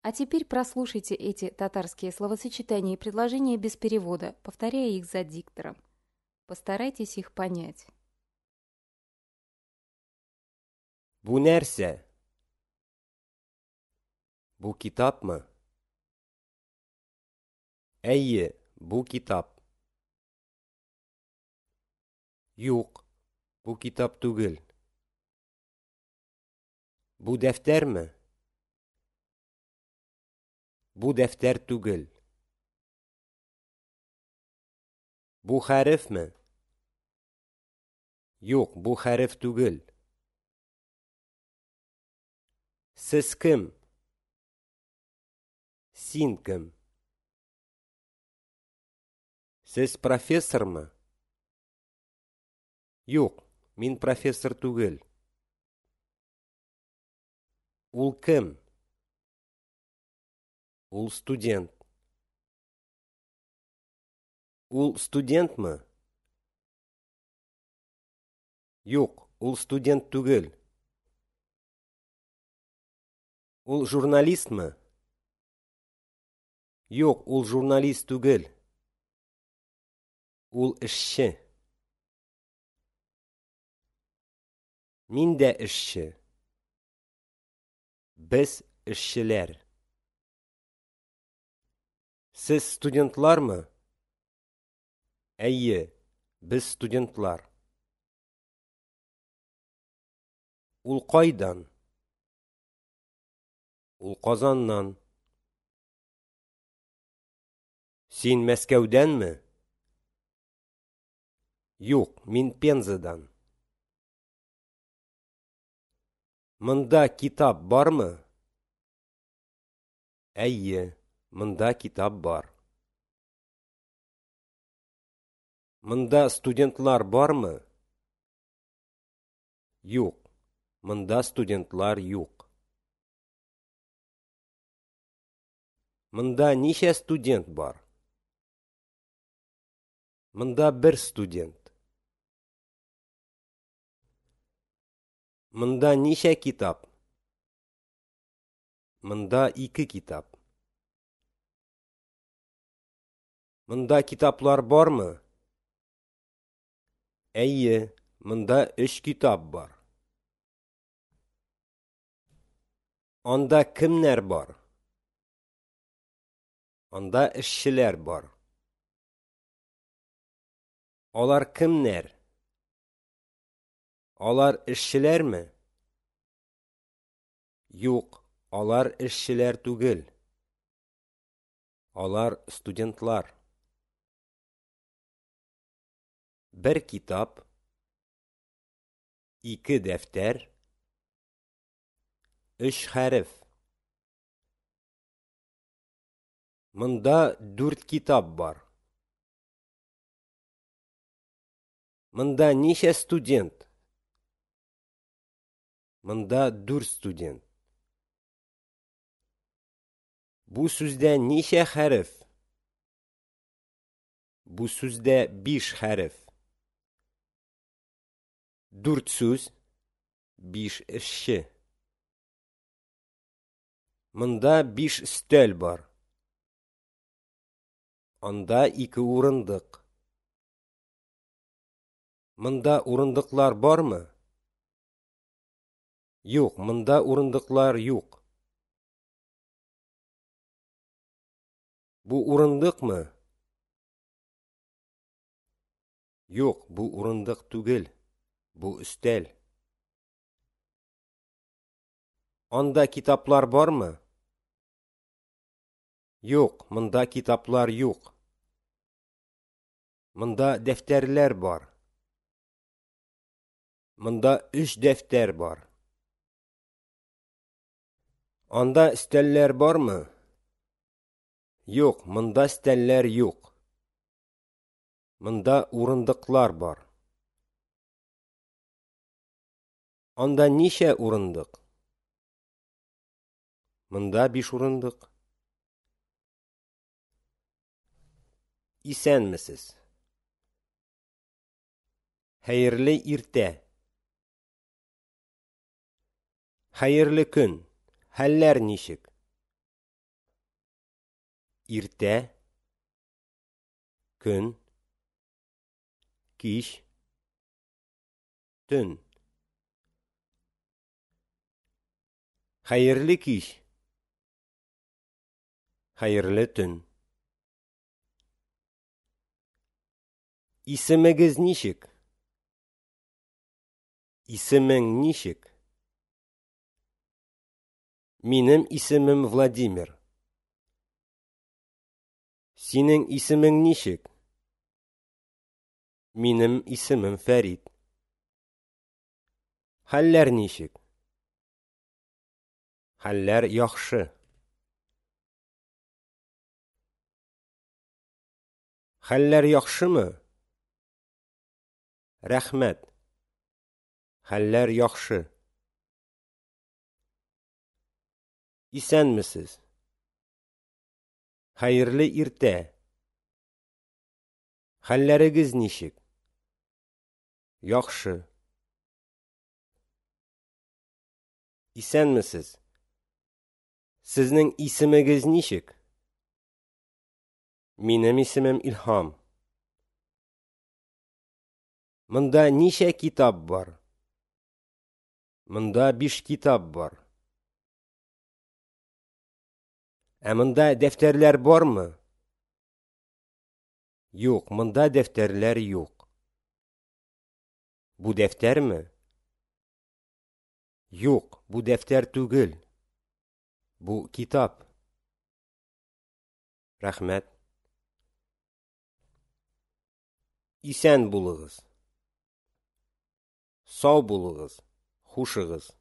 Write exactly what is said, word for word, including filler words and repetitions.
А теперь прослушайте эти татарские словосочетания и предложения без перевода, повторяя их за диктором. Постарайтесь их понять. Бу нәрсә? Бу китапмы? Әйе, бу китап. Юк, бу китап түгел. Бу дәфтәрме? Бу дәфтәр түгел. Бу хәрефме? Юк, бу хәреф түгел. Сез кем? Син кем? Сез профессормы? Юк, мин профессор түгел. Ул кем? Ул студент. Ул студентмы? Юк, ул студент түгел. Ул журналистмы? Юк, ул журналист түгел. Ул эшче. Мин дә эшче. Без эшчеләр. Сез студентлармы? Әйе, без студентлар. Ул кайдан? Ул Казаннан. Син Мәскәүдәнме? Юк, мин Пензадан. Монда китап бармы? Әйе, монда китап бар. Монда студентлар бармы? Юк, монда студентлар юк. Монда ничә студент бар? Монда бер студент. Монда ничә китап? Монда ике китап. Монда китаплар бармы? Әйе, монда өч китап бар. Анда кемнәр бар? Анда эшчеләр бар. Алар кемнәр? Алар эшчеләрме? Юк, алар эшчеләр түгел. Алар студентлар. Бер китап, ике дәфтәр, өч хәреф. Монда дүрт китап бар. Монда ничә студент? Монда дүрт студент. Бу сүздә ничә хәреф? Бу сүздә биш хәреф. Дүрт сүз, биш эшче. Монда биш өстәл бар. Анда ике урындык. Монда урындыклар бармы? Юк, монда урындыклар юк. Бу урындыкмы? Юк, бу урындык түгел. Бу өстәл. Анда китаплар бармы? Юк, монда китаплар юк. Монда дәфтәрләр бар. Монда өч дәфтәр бар. Анда өстәлләр бармы? Юк, монда өстәлләр юк. Монда урындыклар бар. Анда ничә урындык? Монда биш урындык. Исәнмесез. Хәерле иртә. Хәерле көн. Хәлләр ничек? Иртә, көн, кич, төн. Хәерле кич. Хәерле төн. Исемегез ничек? Исемең ничек? Минем исемем Владимир. Синең исемең ничек? Минем исемем Фәрит. Хәлләр ничек? Хәлләр яхшы. Хәлләр яхшымы? Рәхмәт. Хәлләр яхшы. Исәнмесез. Хәерле иртә. Хәлләрегез ничек? Яхшы. Исәнмесез. Сезнең исемегез ничек? Минем исемем Илһам. Монда ничә китап бар? Монда биш китап бар. Ә монда дәфтәрләр бармы? Юк, монда дәфтәрләр юк. Бу дәфтәрме? Юк, бу дәфтәр түгел. Бу китап. Рәхмәт. Исән булыгыз. Сау булыгыз. Хушыгыз.